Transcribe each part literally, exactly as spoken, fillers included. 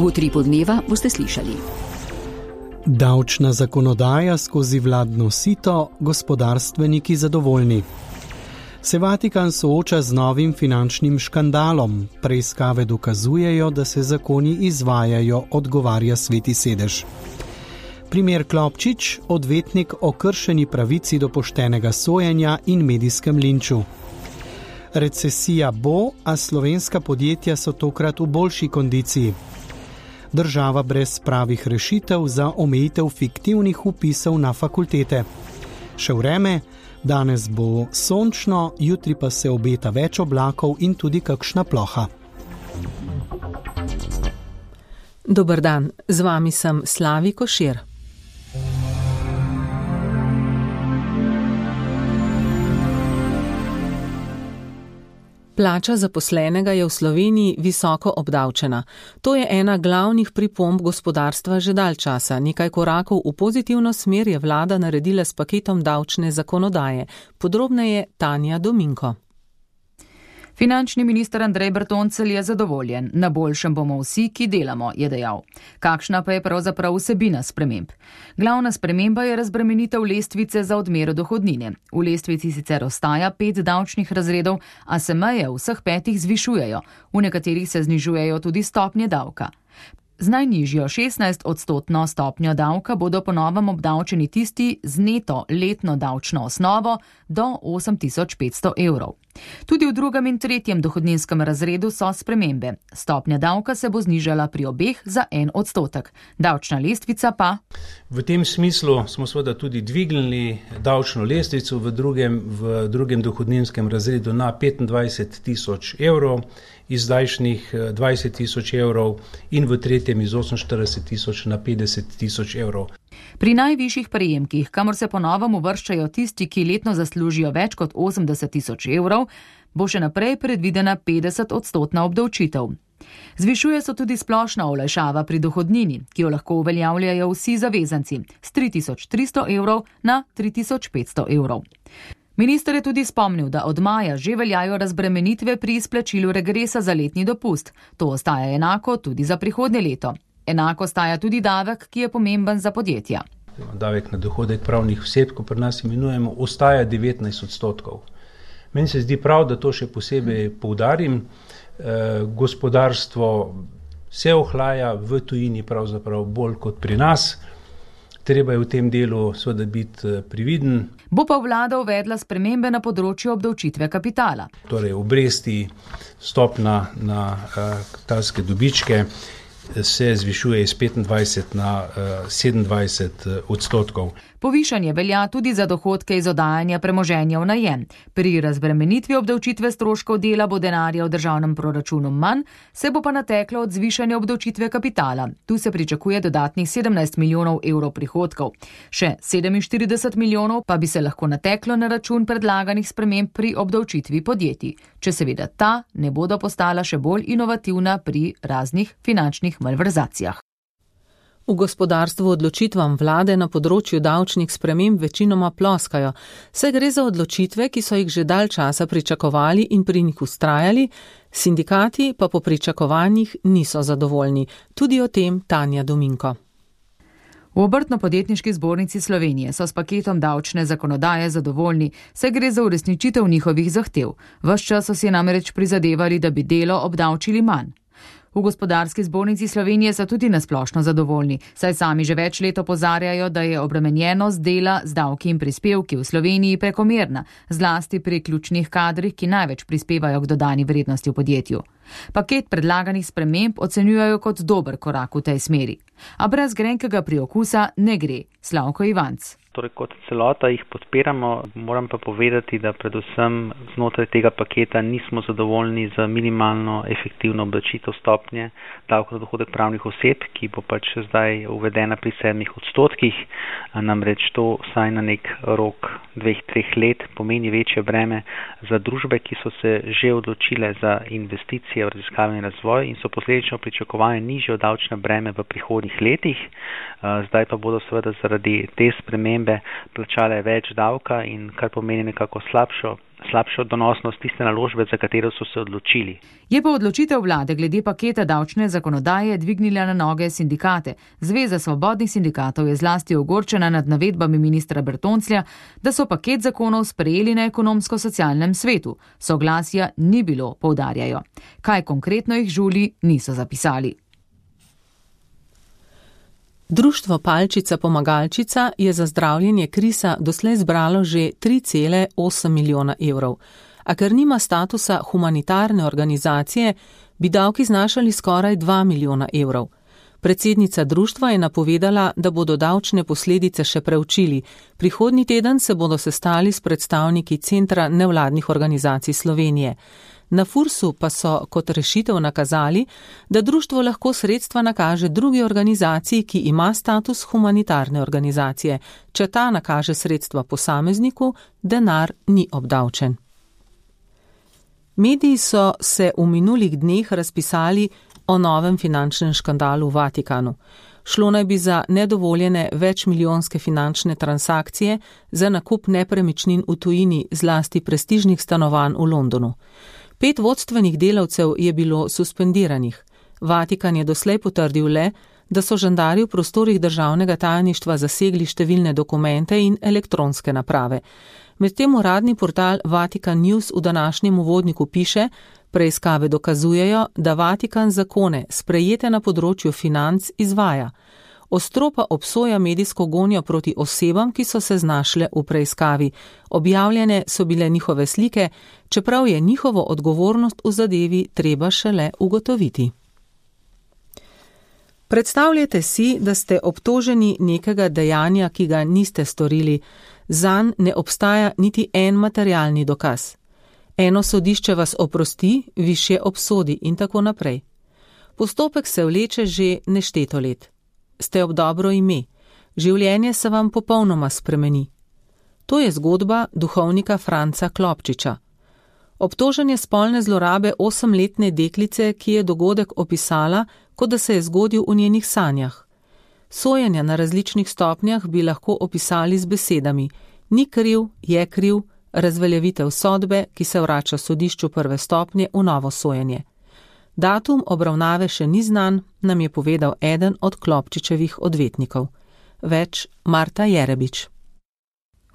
V Utripu dneva boste slišali: davčna zakonodaja skozi vladno sito, gospodarstveniki zadovoljni. Se Vatikan sooča z novim finančnim škandalom. Preiskave dokazujejo, da se zakoni izvajajo, odgovarja Sveti sedež. Primer Klopčič, odvetnik o kršeni pravici do poštenega sojenja in medijskem linču. Recesija bo, a slovenska podjetja so tokrat v boljši kondiciji. Država brez pravih rešitev za omejitev fiktivnih vpisov na fakultete. Še vreme, danes bo sončno, jutri pa se obeta več oblakov in tudi kakšna ploha. Dober dan, z vami sem Slavi Košir. Plača zaposlenega je v Sloveniji visoko obdavčena. To je ena glavnih pripomb gospodarstva že dalj časa. Nekaj korakov v pozitivno smer je vlada naredila s paketom davčne zakonodaje. Podrobneje Tanja Dominko. Finančni minister Andrej Bertoncelj je zadovoljen. Na boljšem bomo vsi, ki delamo, je dejal. Kakšna pa je pravzaprav vsebina sprememb? Glavna sprememba je razbremenitev lestvice za odmero dohodnine. V lestvici sicer ostaja pet davčnih razredov, a se meje v vseh petih zvišujejo. V nekaterih se znižujejo tudi stopnje davka. Z najnižjo šestnajst odstotno stopnjo davka bodo po novem obdavčeni tisti z neto letno davčno osnovo do osem tisoč petsto evrov. Tudi v drugem in tretjem dohodninskem razredu so spremembe. Stopnja davka se bo znižala pri obeh za en odstotek. Davčna lestvica pa... V tem smislu smo seveda tudi dvignili davčno lestvico v drugem, v drugem dohodninskem razredu na petindvajset tisoč evrov, iz zdajšnjih dvajset tisoč evrov in v tretjem iz oseminštirideset tisoč na petdeset tisoč evrov. Pri najvišjih prejemkih, kamor se po novem uvrščajo tisti, ki letno zaslužijo več kot osemdeset tisoč evrov, bo še naprej predvidena petdeset odstotna obdavčitev. Zvišuje se tudi splošna olajšava pri dohodnini, ki jo lahko uveljavljajo vsi zavezanci, s tri tisoč tristo evrov na tri tisoč petsto evrov. Minister je tudi spomnil, da od maja že veljajo razbremenitve pri izplačilu regresa za letni dopust. To ostaja enako tudi za prihodnje leto. Enako ostaja tudi davek, ki je pomemben za podjetja. Davek na dohodek pravnih oseb, ko pri nas imenujemo, ostaja devetnajst odstotkov. Meni se zdi prav, da to še posebej poudarim. E, gospodarstvo se ohlaja v tujini pravzaprav bolj kot pri nas. Treba je v tem delu seveda biti previden. Bo pa vlada uvedla spremembe na področju obdavčitve kapitala. Torej obresti, stopna na uh, kapitalske dobičke se zvišuje iz petindvajset na sedemindvajset odstotkov. Povišanje velja tudi za dohodke iz oddajanja premoženja v najem. Pri razbremenitvi obdavčitve stroškov dela bo denarja v državnem proračunu manj, se bo pa nateklo od zvišanja obdavčitve kapitala. Tu se pričakuje dodatnih sedemnajst milijonov evrov prihodkov. Še sedeminštirideset milijonov pa bi se lahko nateklo na račun predlaganih sprememb pri obdavčitvi podjetij, če seveda ta ne bodo postala še bolj inovativna pri raznih finančnih malverzacijah. V gospodarstvu odločitvam vlade na področju davčnih sprememb večinoma ploskajo, saj gre za odločitve, ki so jih že dalj časa pričakovali in pri njih vztrajali, sindikati pa po pričakovanjih niso zadovoljni. Tudi o tem Tanja Dominko. V Obrtno-podjetniški zbornici Slovenije so s paketom davčne zakonodaje zadovoljni, saj gre za uresničitev njihovih zahtev. Ves čas so si namreč prizadevali, da bi delo obdavčili manj. V Gospodarski zbornici Slovenije so tudi nasplošno zadovoljni, saj sami že več let opozarjajo, da je obremenjenost dela z davki in prispevki v Sloveniji prekomerna, zlasti pri ključnih kadrih, ki največ prispevajo k dodani vrednosti v podjetju. Paket predlaganih sprememb ocenjujejo kot dober korak v tej smeri. A brez grenkega priokusa ne gre. Slavko Ivanc. Torej kot celota jih podpiramo, moram pa povedati, da predvsem znotraj tega paketa nismo zadovoljni z minimalno efektivno obdavčitev stopnje davka na dohodek pravnih oseb, ki bo pač zdaj uvedena pri sedmih odstotkih. Namreč to vsaj na nek rok dveh, treh let pomeni večje breme za družbe, ki so se že odločile za investicije v raziskave in razvoj in so posledično pričakovane nižje davčne breme v prihodnjih letih. Zdaj pa bodo seveda zaradi te spremembe plačale več davka in kar pomeni nekako slabšo slabšo donosnost tiste naložbe, za katero so se odločili. Je pa odločitev vlade glede paketa davčne zakonodaje dvignila na noge sindikate. Zveza svobodnih sindikatov je zlasti ogorčena nad navedbami ministra Bertonclja, da so paket zakonov sprejeli na ekonomsko-socialnem svetu. Soglasja ni bilo, poudarjajo. Kaj konkretno jih žuli, niso zapisali. Društvo Palčica Pomagalčica je za zdravljenje krisa doslej zbralo že tri cele osem milijona evrov, a ker nima statusa humanitarne organizacije, bi davki znašali skoraj dva milijona evrov. Predsednica društva je napovedala, da bodo davčne posledice še preučili. Prihodnji teden se bodo sestali s predstavniki Centra nevladnih organizacij Slovenije. Na Fursu pa so kot rešitev nakazali, da društvo lahko sredstva nakaže drugi organizaciji, ki ima status humanitarne organizacije. Če ta nakaže sredstva posamezniku, denar ni obdavčen. Mediji so se v minulih dneh razpisali o novem finančnem škandalu v Vatikanu. Šlo naj bi za nedovoljene večmilijonske finančne transakcije za nakup nepremičnin v tujini, zlasti prestižnih stanovanj v Londonu. Pet vodstvenih delavcev je bilo suspendiranih. Vatikan je doslej potrdil le, da so žandarji v prostorih državnega tajništva zasegli številne dokumente in elektronske naprave. Medtem uradni portal Vatikan News v današnjem uvodniku piše, preiskave dokazujejo, da Vatikan zakone, sprejete na področju financ, izvaja. Ostro pa obsoja medijsko gonjo proti osebam, ki so se znašle v preiskavi. Objavljene so bile njihove slike, čeprav je njihovo odgovornost v zadevi treba šele ugotoviti. Predstavljate si, da ste obtoženi nekega dejanja, ki ga niste storili. Zanj ne obstaja niti en materialni dokaz. Eno sodišče vas oprosti, višje obsodi in tako naprej. Postopek se vleče že nešteto let. Ste ob dobro ime. Življenje se vam popolnoma spremeni. To je zgodba duhovnika Franca Klopčiča. Obtožen je spolne zlorabe osemletne deklice, ki je dogodek opisala, kot da se je zgodil v njenih sanjah. Sojenja na različnih stopnjah bi lahko opisali z besedami: ni kriv, je kriv, razveljavitev sodbe, ki se vrača sodišču prve stopnje v novo sojenje. Datum obravnave še ni znan, nam je povedal eden od Klopčičevih odvetnikov. Več Marta Jerebič.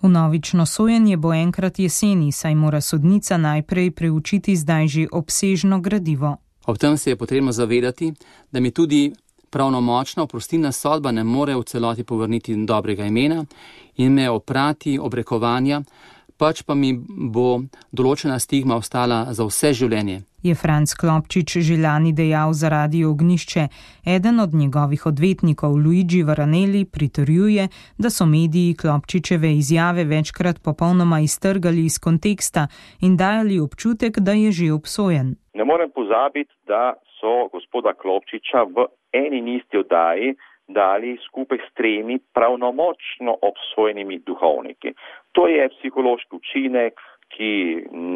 Vnovično sojenje bo enkrat jeseni, saj mora sodnica najprej preučiti zdaj že obsežno gradivo. Ob tem se je potrebno zavedati, da mi tudi pravnomočna oprostilna sodba ne more v celoti povrniti dobrega imena in me oprati obrekovanja, pač pa mi bo določena stigma ostala za vse življenje. Je Franc Klopčič že lani dejal za Radio Ognišče. Eden od njegovih odvetnikov, Luigi Varanelli, pritrjuje, da so mediji Klopčičeve izjave večkrat popolnoma iztrgali iz konteksta in dajali občutek, da je že obsojen. Ne morem pozabiti, da so gospoda Klopčiča v eni in isti oddaji dali skupaj s tremi pravnomočno obsojenimi duhovniki. To je psihološki učinek, ki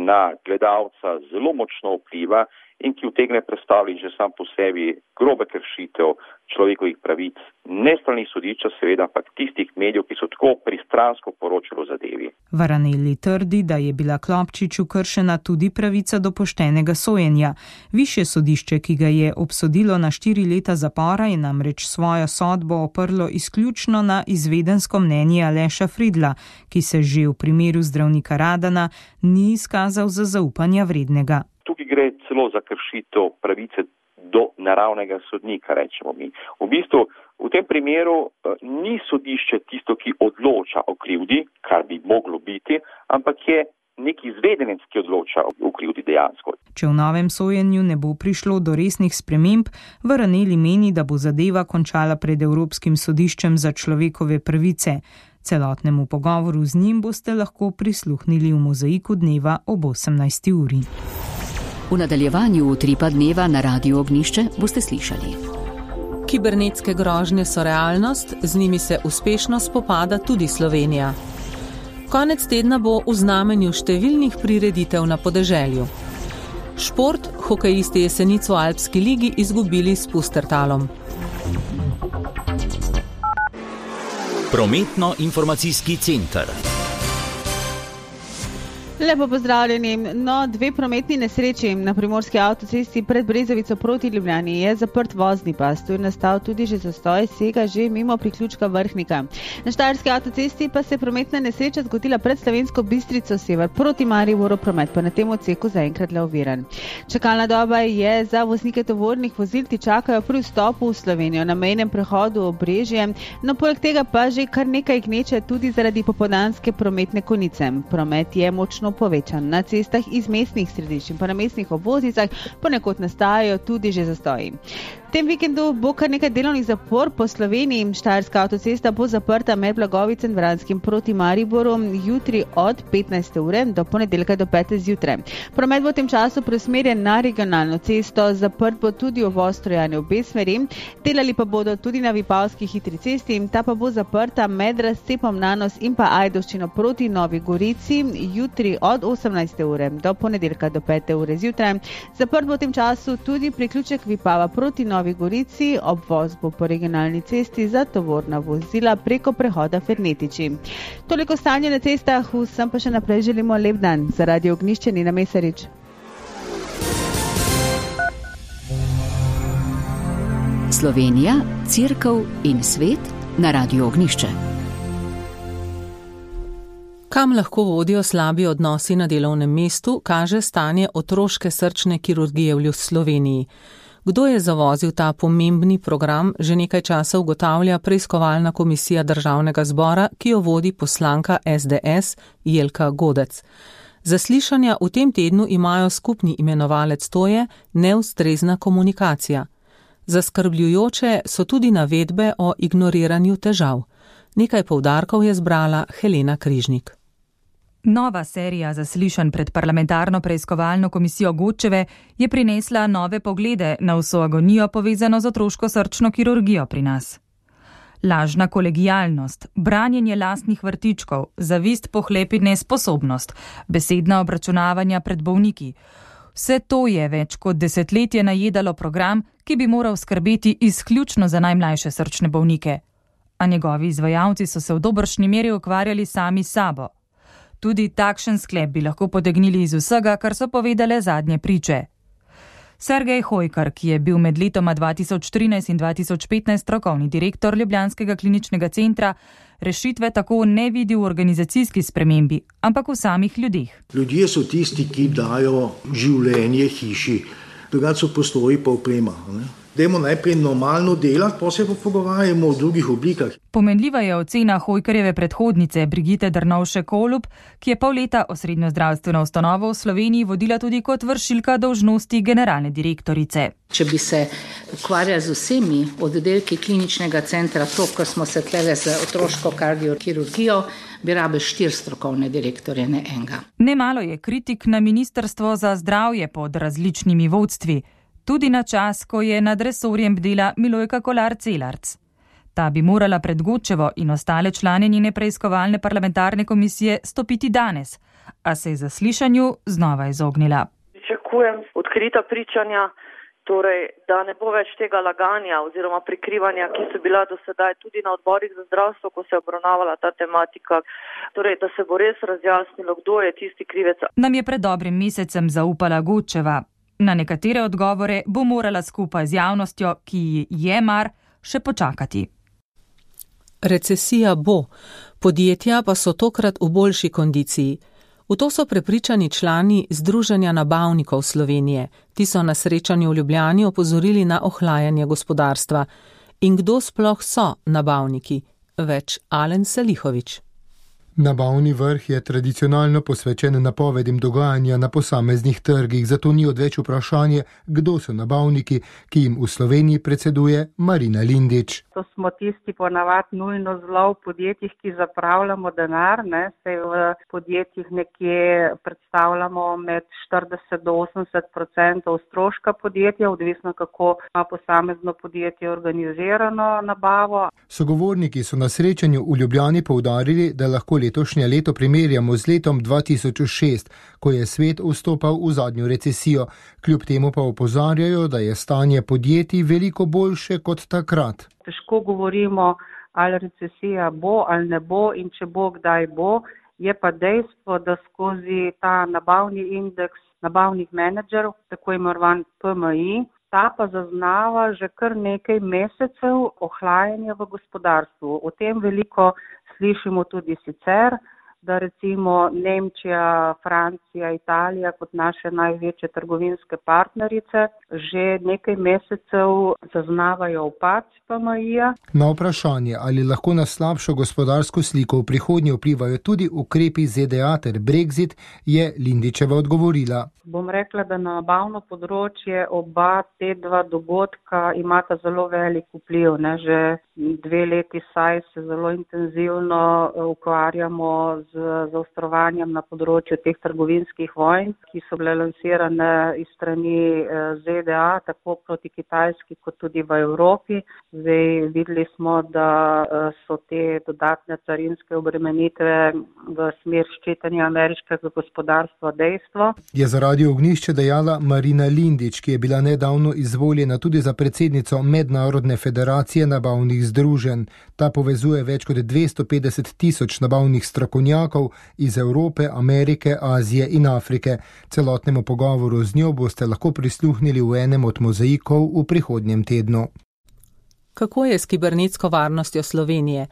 na gledalca zelo močno vpliva in ki utegne predstavljati že sam po sebi grobe kršitev človekovih pravic, ne strani sodišča, seveda pa tistih medijev, ki so tako pristransko poročali o zadevi. Varanelli trdi, da je bila Klopčiču kršena tudi pravica do poštenega sojenja. Višje sodišče, ki ga je obsodilo na štiri leta zapora, je namreč svojo sodbo oprlo izključno na izvedensko mnenje Aleša Fridla, ki se že v primeru zdravnika Radana ni izkazal za zaupanja vrednega. Tukaj gre celo za kršitev pravice do naravnega sodnika, rečemo mi. V bistvu v tem primeru ni sodišče tisto, ki odloča o krivdi, kar bi moglo biti, ampak je nek izvedenec, ki odloča o krivdi dejansko. Če v novem sojenju ne bo prišlo do resnih sprememb, Varanelli meni, da bo zadeva končala pred Evropskim sodiščem za človekove pravice. Celotnemu pogovoru z njim boste lahko prisluhnili v Mozaiku dneva ob osemnajsti uri. V nadaljevanju utripa dneva na Radiu Ognišče boste slišali. Kibernetske grožnje so realnost, z njimi se uspešno spopada tudi Slovenija. Konec tedna bo v znamenju številnih prireditev na podeželju. Šport, hokejisti jesenic v Alpski ligi izgubili s Pustertalom. Prometno-informacijski center. Lepo pozdravljeni. No, dve prometni nesreči na primorski avtocesti pred Brezovico proti Ljubljani je zaprt vozni pas. Tu je nastal tudi že zastoj, sega že mimo priključka Vrhnika. Na štajerski avtocesti pa se je prometna nesreča zgodila pred Slovensko Bistrico sever proti Mariboru, promet pa na tem odseku zaenkrat le oviran. Čakalna doba je za voznike tovornih vozil, ti čakajo pri vstopu v Slovenijo na mejnem prehodu Obrežje. No, poleg tega pa že kar nekaj gneče tudi zaradi popoldanske prometne konice. Promet je močno povečan. Na cestah iz mestnih središč in pa na mestnih obvoznicah ponekod nastajajo tudi že zastoji. V tem vikendu bo kar nekaj delovnih zapor po Sloveniji. Štajerska avtocesta bo zaprta med Blagovicem in Vranskim proti Mariboru jutri od petnajste ure do ponedeljka do pete zjutraj. Promet bo v tem času preusmerjen na regionalno cesto, zaprt bo tudi uvoz Trojane v obe smeri, delali pa bodo tudi na Vipavski hitri cesti, ta pa bo zaprta med razcepom Nanos in pa Ajdovščino proti Novi Gorici jutri od osemnajste ure do ponedeljka do pete ure zjutraj. Zaprt bo v tem času tudi priključek Vipava proti Novi Gorici, obvoz bo po regionalni cesti za tovorna vozila preko prehoda Fernetiči. Toliko stanje na cestah, vsem pa še naprej želimo lep dan. Za Radio Ognjišče Nina Mesarič. Slovenija, Cerkev in svet na Radio Ognjišče. Kam lahko vodijo slabi odnosi na delovnem mestu, kaže stanje otroške srčne kirurgije v Sloveniji. Kdo je zavozil ta pomembni program, že nekaj časa ugotavlja preiskovalna komisija Državnega zbora, ki jo vodi poslanka es de es Jelka Godec. Zaslišanja v tem tednu imajo skupni imenovalec, to je neustrezna komunikacija. Zaskrbljujoče so tudi navedbe o ignoriranju težav. Nekaj poudarkov je zbrala Helena Križnik. Nova serija zaslišanj pred parlamentarno preiskovalno komisijo Godčeve je prinesla nove poglede na vso agonijo povezano z otroško srčno kirurgijo pri nas. Lažna kolegijalnost, branjenje lastnih vrtičkov, zavist, pohlep in nesposobnost, besedna obračunavanja pred bolniki. Vse to je več kot desetletje najedalo program, ki bi moral skrbeti izključno za najmlajše srčne bolnike. A njegovi izvajalci so se v dobršni meri ukvarjali sami s sabo. Tudi takšen sklep bi lahko potegnili iz vsega, kar so povedale zadnje priče. Sergej Hojkar, ki je bil med letoma dva tisoč trinajst in dva tisoč petnajst strokovni direktor Ljubljanskega kliničnega centra, rešitve tako ne vidi v organizacijski spremembi, ampak v samih ljudeh. Ljudje so tisti, ki dajo življenje hiši, drugače so postoji pa oprema. Ne? Dajmo najprej normalno delati, pa se pa pogovarjamo o drugih oblikah. Pomenljiva je ocena Hojkarjeve predhodnice Brigite Drnovšek-Kolub, ki je pol leta osrednjo zdravstveno ustanovo v Sloveniji vodila tudi kot vršilka dolžnosti generalne direktorice. Če bi se ukvarjali z vsemi oddelki kliničnega centra, to, kar smo se tlele z otroško kardiokirurgijo, bi rabe štiri strokovne direktorje, ne enega. Nemalo je kritik na Ministrstvo za zdravje pod različnimi vodstvi. Tudi na čas, ko je nad resorjem bdela Milojka Kolar-Celarc. Ta bi morala pred Godčevo in ostale člane njene preiskovalne parlamentarne komisije stopiti danes, a se je zaslišanju znova izognila. Pričakujem odkrita pričanja, torej, da ne bo več tega laganja oziroma prikrivanja, ki so bila do sedaj tudi na odborih za zdravstvo, ko se je obravnavala ta tematika, torej, da se bo res razjasnilo, kdo je tisti krivec. Nam je pred dobrim mesecem zaupala Godčeva. Na nekatere odgovore bo morala skupaj z javnostjo, ki je mar, še počakati. Recesija bo, podjetja pa so tokrat v boljši kondiciji. V to so prepričani člani Združenja nabavnikov Slovenije. Ti so na srečanju v Ljubljani opozorili na ohlajanje gospodarstva. In kdo sploh so nabavniki? Več Alen Selihovič. Nabavni vrh je tradicionalno posvečen napovedim dogajanja na posameznih trgih, zato ni odveč vprašanje, kdo so nabavniki, ki jim v Sloveniji predseduje Marina Lindič. To smo tisti ponavad nujno zelo v podjetjih, ki zapravljamo denar, ne, se v podjetjih nekje predstavljamo med štirideset do osemdeset procentov stroška podjetja, odvisno kako ima posamezno podjetje organizirano nabavo. Sogovorniki so na srečanju v Ljubljani poudarili, da lahko letošnje leto primerjamo z letom dva tisoč šest, ko je svet vstopal v zadnjo recesijo. Kljub temu pa opozarjajo, da je stanje podjetij veliko boljše kot takrat. Težko govorimo, ali recesija bo ali ne bo in če bo, kdaj bo. Je pa dejstvo, da skozi ta nabavni indeks nabavnih menedžerov, tako imenovan P M I, ta pa zaznava že kar nekaj mesecev ohlajanja v gospodarstvu. O tem veliko slišimo tudi sicer, da recimo Nemčija, Francija, Italija kot naše največje trgovinske partnerice že nekaj mesecev zaznavajo upad P M I-ja. Na vprašanje, ali lahko na slabšo gospodarsko sliko v prihodnje vplivajo tudi ukrepi Z D A ter Brexit, je Lindićeva odgovorila. Bom rekla, da na nabavno področje oba te dva dogodka imata zelo velik vpliv. Ne? Že dve leti saj se zelo intenzivno ukvarjamo z zaostrovanjem na področju teh trgovinskih vojn, ki so bile lansirane iz strani Z D A, tako proti Kitajski kot tudi v Evropi. Zdaj videli smo, da so te dodatne carinske obremenitve v smer ščitenja ameriškega gospodarstva dejstvo. Je za Radio Ognjišče dejala Marina Lindić, ki je bila nedavno izvoljena tudi za predsednico Mednarodne federacije nabavnih združenj. Ta povezuje več kot dvesto petdeset tisoč nabavnih strokovnjakov iz Evrope, Amerike, Azije in Afrike. Celotnemu pogovoru z njo boste lahko prisluhnili v enem od mozaikov v prihodnjem tednu. Kako je s kibernetsko varnostjo Slovenije?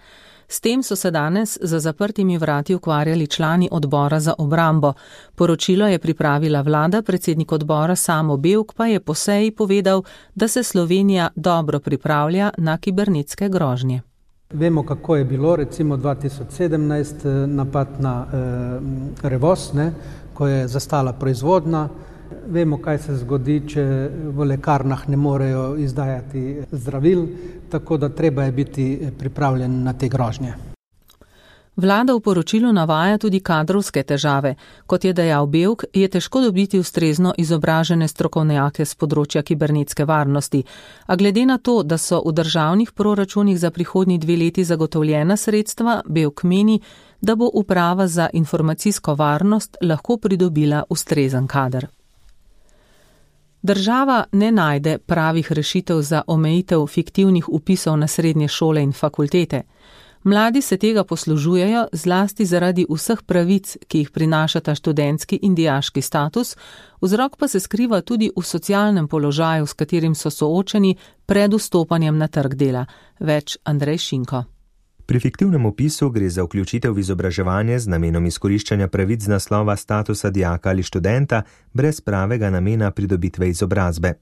S tem so se danes za zaprtimi vrati ukvarjali člani odbora za obrambo. Poročilo je pripravila vlada, predsednik odbora Samo Bevk pa je po seji povedal, da se Slovenija dobro pripravlja na kibernetske grožnje. Vemo, kako je bilo recimo dva tisoč sedemnajst napad na eh, Revoz, ne, ko je zastala proizvodnja. Vemo, kaj se zgodi, če v lekarnah ne morejo izdajati zdravil, tako da treba je biti pripravljen na te grožnje. Vlada v poročilu navaja tudi kadrovske težave. Kot je dejal Bevk, je težko dobiti ustrezno izobražene strokovnjake z področja kibernetske varnosti. A glede na to, da so v državnih proračunih za prihodnji dve leti zagotovljena sredstva, Bevk meni, da bo uprava za informacijsko varnost lahko pridobila ustrezen kader. Država ne najde pravih rešitev za omejitev fiktivnih vpisov na srednje šole in fakultete. Mladi se tega poslužujejo zlasti zaradi vseh pravic, ki jih prinašata študentski in dijaški status, vzrok pa se skriva tudi v socialnem položaju, s katerim so soočeni pred vstopanjem na trg dela. Več Andrej Šinko. Pri fiktivnem vpisu gre za vključitev v izobraževanje z namenom izkoriščanja pravic z naslova statusa dijaka ali študenta brez pravega namena pridobitve izobrazbe.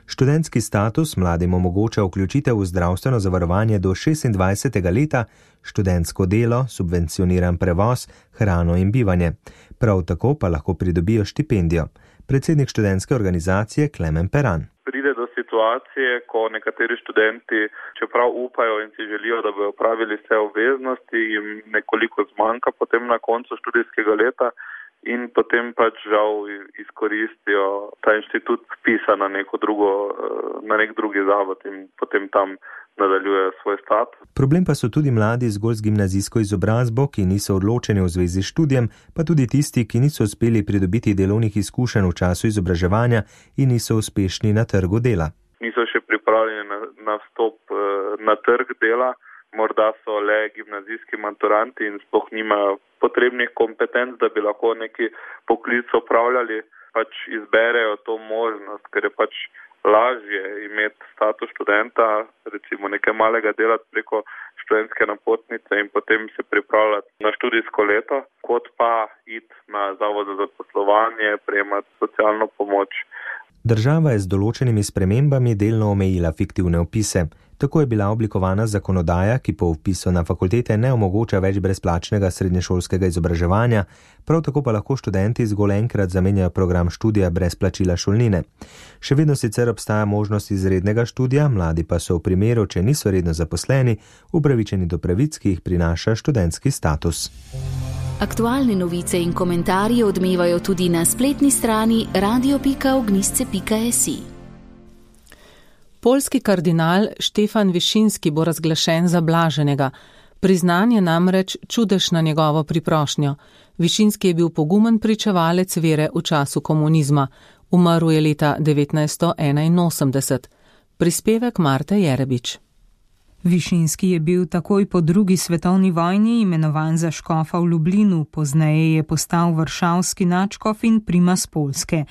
Študentski status mladim omogoča vključitev v zdravstveno zavarovanje do šestindvajsetega leta, študentsko delo, subvencioniran prevoz, hrano in bivanje. Prav tako pa lahko pridobijo štipendijo. Predsednik študentske organizacije Klemen Peran. Pride do situacije, ko nekateri študenti, čeprav upajo in si želijo, da bi opravili vse obveznosti, jim nekoliko zmanjka potem na koncu študijskega leta in potem pač žal izkoristijo ta inštitut vpisa na neko drugo, na nek drugi zavod in potem tam nadaljujejo svoj status. Problem pa so tudi mladi zgolj z gimnazijsko izobrazbo, ki niso odločeni v zvezi s študijem, pa tudi tisti, ki niso uspeli pridobiti delovnih izkušenj v času izobraževanja in niso uspešni na trgu dela. Niso še pripravljeni na, na vstop na trg dela, morda so le gimnazijski maturanti in sploh nimajo potrebnih kompetenc, da bi lahko neki poklic opravljali, pač izberejo to možnost, ker je pač lažje imeti status študenta, recimo nekaj malega delati preko študentske napotnice in potem se pripravljati na študijsko leto, kot pa iti na zavod za zaposlovanje, prejemati socialno pomoč. Država je z določenimi spremembami delno omejila fiktivne vpise. Tako je bila oblikovana zakonodaja, ki po vpisu na fakultete ne omogoča več brezplačnega srednješolskega izobraževanja, prav tako pa lahko študenti zgolj enkrat zamenjajo program študija brez plačila šolnine. Še vedno sicer obstaja možnost izrednega študija, mladi pa so v primeru, če niso redno zaposleni, upravičeni do pravic, ki jih prinaša študentski status. Aktualne novice in komentarji odmevajo tudi na spletni strani radio pika ognjišče pika si. Poljski kardinal Štefan Višinski bo razglašen za blaženega. Priznan je namreč čudež na njegovo priprošnjo. Višinski je bil pogumen pričevalec vere v času komunizma. Umrl je leta devetnajststo enainosemdeset. Prispevek Marte Jerebič. Višinski je bil takoj po drugi svetovni vojni imenovan za škofa v Lublinu, pozneje je postal varšavski nadškof in primas Poljske.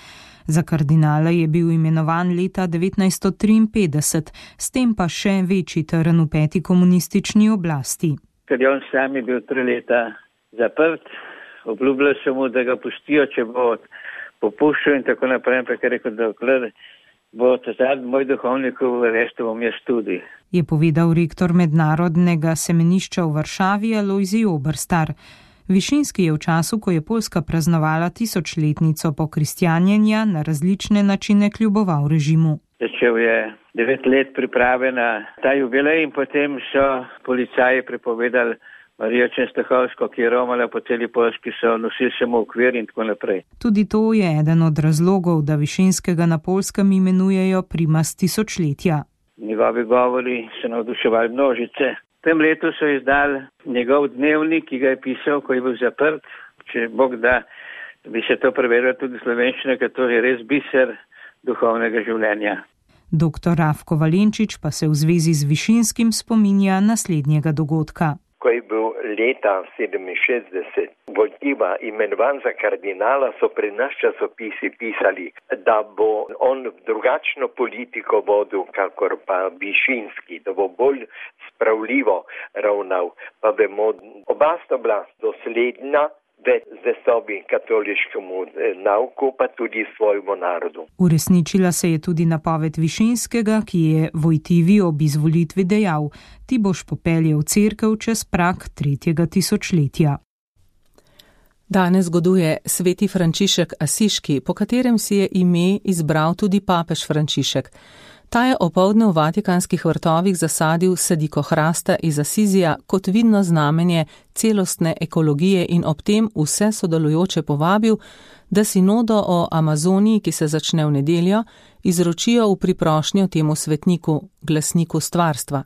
Za kardinala je bil imenovan leta devetnajststo triinpetdeset, s tem pa še večji trn v peti komunistični oblasti. Ker je on sam je bil tri leta zaprt, obljubljal sem mu, da ga pustijo, če bo popuščal in tako naprej, ampak je rekel, da dokler bo tazad moj duhovnik v restu, bom jaz tudi. Je povedal rektor mednarodnega semenišča v Varšavi Alojzij Oberstar. Višinski je v času, ko je Poljska praznovala tisočletnico pokristjanjenja, na različne načine kljuboval režimu. Začel je devet let priprave na ta jubilej in potem so policaji prepovedali Marijo Čenstohovsko, ki je romala po celi Poljski, so nosili samo okvir in tako naprej. Tudi to je eden od razlogov, da Višinskega na Poljskem imenujejo primas tisočletja. Njegovi govori so navduševali množice. V tem letu so izdali njegov dnevnik, ki ga je pisal, ko je bil zaprt. Če Bog da, bi se to preverilo tudi slovenščino, ker to je res biser duhovnega življenja. Doktor Rafko Valenčič pa se v zvezi z Višinskim spominja naslednjega dogodka. Ko je bil leta sedeminšestdeset Vojtiva imenovan za kardinala, so pri nas časopisi pisali, da bo on drugačno politiko vodil, kakor pa Višinski, da bo bolj spravljivo ravnal. Pa vemo, oba sta bila dosledna v zvestobi katoliškemu nauku, pa tudi svojemu narodu. Uresničila se je tudi napoved Višinskega, ki je Vojtivi ob izvolitvi dejal: ti boš popeljal cerkev čez prag tretjega tisočletja. Danes goduje sveti Frančišek Asiški, po katerem si je ime izbral tudi papež Frančišek. Ta je opoldne v vatikanskih vrtovih zasadil sadiko hrasta iz Asizija kot vidno znamenje celostne ekologije in ob tem vse sodelujoče povabil, da sinodo o Amazoniji, ki se začne v nedeljo, izročijo v priprošnjo temu svetniku, glasniku stvarstva.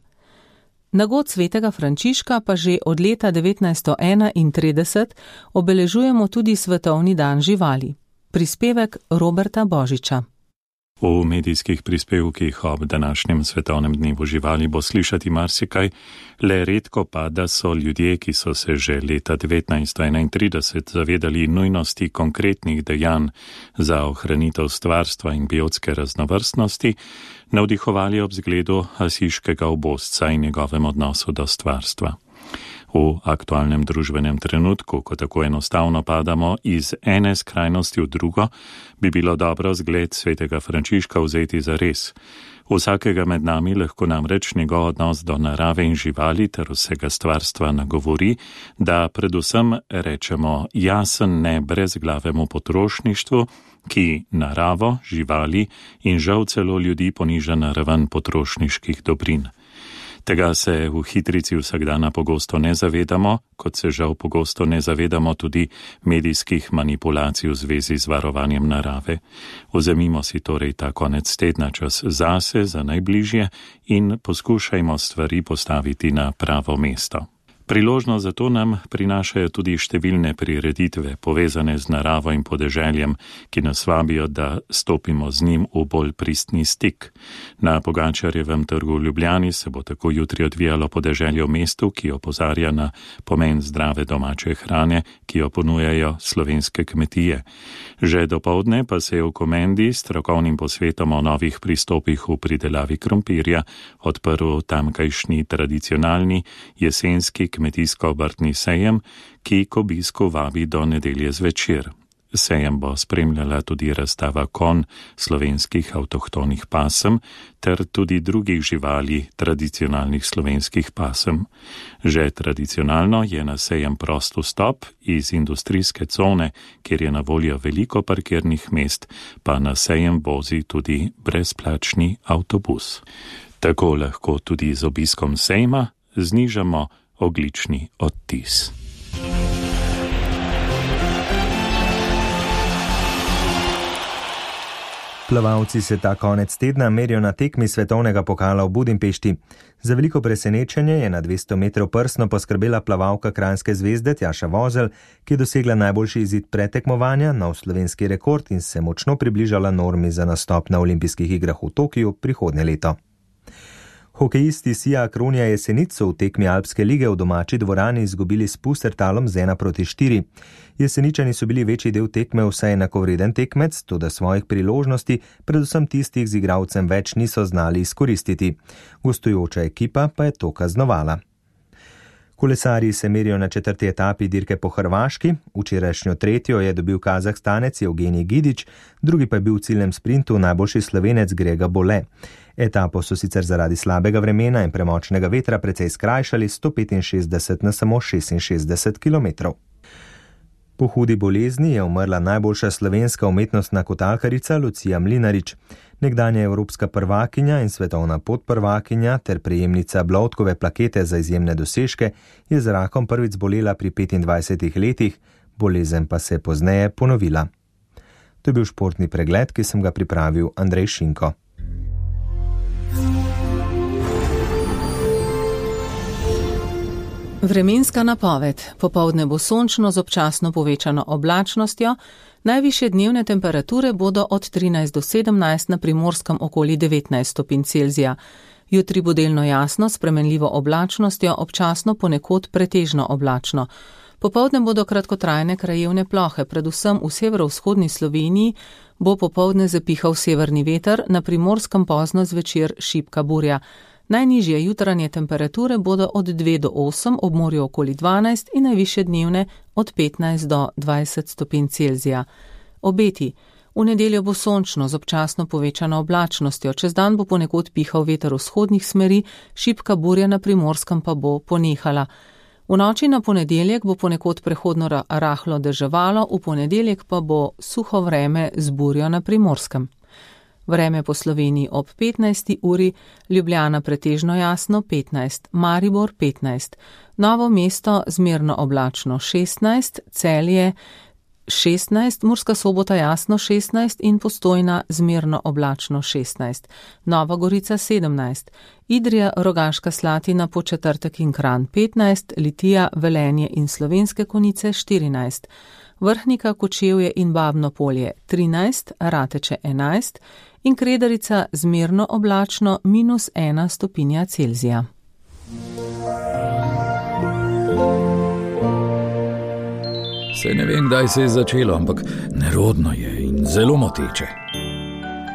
Na god svetega Frančiška pa že od leta devetnajststo enaintrideset obeležujemo tudi Svetovni dan živali. Prispevek Roberta Božiča. V medijskih prispevkih ob današnjem svetovnem dnevu živali bo slišati marsikaj, le redko pa, da so ljudje, ki so se že leta devetnajststo enaintrideset zavedali nujnosti konkretnih dejanj za ohranitev stvarstva in biotske raznovrstnosti, navdihovali ob zgledu asiškega obozca in njegovem odnosu do stvarstva. V aktualnem družbenem trenutku, ko tako enostavno padamo iz ene skrajnosti v drugo, bi bilo dobro zgled svetega Frančiška vzeti za res. Vsakega med nami lahko namreč njegov odnos do narave in živali ter vsega stvarstva nagovori, da predvsem rečemo jasen ne brezglavemu potrošništvu, ki naravo, živali in žal celo ljudi poniža na raven potrošniških dobrin. Tega se v hitrici vsakdana pogosto ne zavedamo, kot se žal pogosto ne zavedamo tudi medijskih manipulacij v zvezi z varovanjem narave. Vzemimo si torej ta konec tedna čas zase, za najbližje in poskušajmo stvari postaviti na pravo mesto. Priložnost za to nam prinašajo tudi številne prireditve, povezane z naravo in podeželjem, ki nas vabijo, da stopimo z njim v bolj pristni stik. Na Pogačarjevem trgu v Ljubljani se bo tako jutri odvijalo podeželje v mestu, ki opozarja na pomen zdrave domače hrane, ki jo ponujajo slovenske kmetije. Že dopoldne pa se je v Komendi s strokovnim posvetom o novih pristopih v pridelavi krompirja odprl tamkajšnji tradicionalni jesenski kmetijsko-obrtni sejem, ki k obisku vabi do nedelje zvečer. Sejem bo spremljala tudi razstava konj slovenskih avtohtonih pasem ter tudi drugih živali tradicionalnih slovenskih pasem. Že tradicionalno je na sejem prost vstop iz industrijske cone, kjer je na voljo veliko parkirnih mest, pa na sejem vozi tudi brezplačni avtobus. Tako lahko tudi z obiskom sejma znižamo ogljični odtis. Plavalci se ta konec tedna merijo na tekmi svetovnega pokala v Budimpešti. Za veliko presenečenje je na dvesto metrov prsno poskrbela plavalka Kranjske zvezde Tjaša Vozelj, ki je dosegla najboljši izid pretekmovanja, nov slovenski rekord in se močno približala normi za nastop na olimpijskih igrah v Tokiu prihodnje leto. Hokejisti Sija Kronja Jesenic so v tekmi Alpske lige v domači dvorani izgubili s Pustertalom z ena proti štiri. Jeseničani so bili večji del tekme vsaj enakovreden tekmec, toda svojih priložnosti, predvsem tistih z igralcem več, niso znali izkoristiti. Gostujoča ekipa pa je to kaznovala. Kolesarji se merijo na četrti etapi dirke po Hrvaški. Včerajšnjo tretjo je dobil Kazahstanec Evgenij Gidić, drugi pa je bil v ciljnem sprintu najboljši Slovenec Grega Bole. Etapo so sicer zaradi slabega vremena in premočnega vetra precej skrajšali sto petinšestdeset na samo šestinšestdeset kilometrov. Po hudi bolezni je umrla najboljša slovenska umetnostna kotalkarica Lucija Mlinarič. Nekdanja evropska prvakinja in svetovna podprvakinja ter prejemnica Bloudkove plakete za izjemne dosežke je z rakom prvič zbolela pri petindvajsetih letih, bolezen pa se je pozneje ponovila. To je bil športni pregled, ki sem ga pripravil Andrej Šinko. Vremenska napoved. Popoldne bo sončno z občasno povečano oblačnostjo. Najvišje dnevne temperature bodo od trinajst do sedemnajst, na Primorskem okoli devetnajst stopinj Celzija. Jutri bo delno jasno, s spremenljivo oblačnostjo, občasno ponekod pretežno oblačno. Popoldne bodo kratkotrajne krajevne plohe, predvsem v severovzhodni Sloveniji bo popoldne zapihal severni veter, na Primorskem pozno zvečer šibka burja. Najnižje jutranje temperature bodo od dve do osem, ob morju okoli dvanajst in najvišje dnevne od petnajst do dvajset stopinj Celzija. Obeti. V nedeljo bo sončno z občasno povečano oblačnostjo, čez dan bo ponekod pihal veter vzhodnih smeri, šibka burja na Primorskem pa bo ponehala. V noči na ponedeljek bo ponekod prehodno rahlo deževalo, v ponedeljek pa bo suho vreme z burjo na Primorskem. Vreme po Sloveniji ob petnajsti uri, Ljubljana pretežno jasno petnajst, Maribor petnajst, Novo mesto zmerno oblačno šestnajst, Celje šestnajst, Murska Sobota jasno šestnajst in Postojna zmerno oblačno šestnajst, Nova Gorica sedemnajst, Idrija, Rogaška Slatina, Podčetrtek in Kranj petnajst, Litija, Velenje in Slovenske Konjice štirinajst, Vrhnika, Kočevje in Babno Polje trinajst, Rateče enajst in Kredarica zmerno oblačno minus ena stopinja Celzija. Se ne vem, kdaj se je začelo, ampak nerodno je in zelo moteče.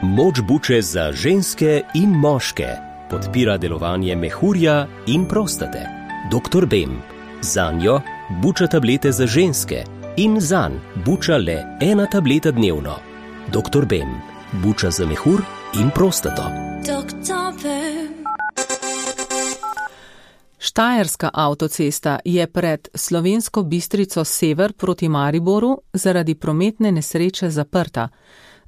Moč buče za ženske in moške podpira delovanje mehurja in prostate. doktor Bem. Zanjo buča tablete za ženske in zanj buča le ena tableta dnevno. doktor Bem. Buča za mehur in prostato. doktor Bem. Štajerska avtocesta je pred Slovensko Bistrico sever proti Mariboru zaradi prometne nesreče zaprta.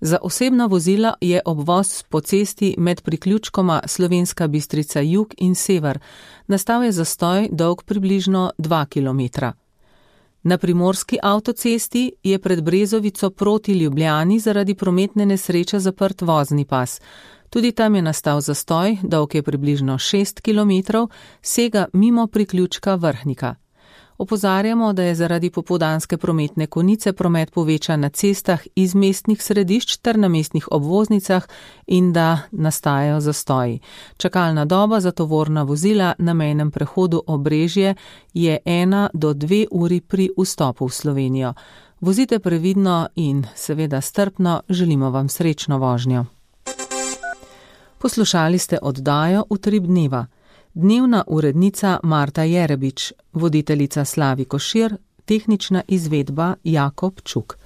Za osebna vozila je obvoz po cesti med priključkoma Slovenska Bistrica jug in sever. Nastal je zastoj dolg približno dva kilometra. Na primorski avtocesti je pred Brezovico proti Ljubljani zaradi prometne nesreče zaprt vozni pas. Tudi tam je nastal zastoj, dolg je približno šest kilometrov, sega mimo priključka Vrhnika. Opozarjamo, da je zaradi popoldanske prometne konice promet povečan na cestah iz mestnih središč ter na mestnih obvoznicah in da nastajajo zastoji. Čakalna doba za tovorna vozila na mejnem prehodu Obrežje je ena do dve uri pri vstopu v Slovenijo. Vozite previdno in seveda strpno, želimo vam srečno vožnjo. Poslušali ste oddajo Utrip dneva. Dnevna urednica Marta Jerebič, voditeljica Slavi Košir, tehnična izvedba Jakob Čuk.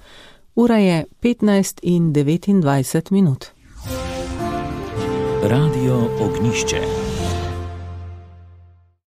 Ura je petnajst in devetindvajset minut. Radio Ognjišče.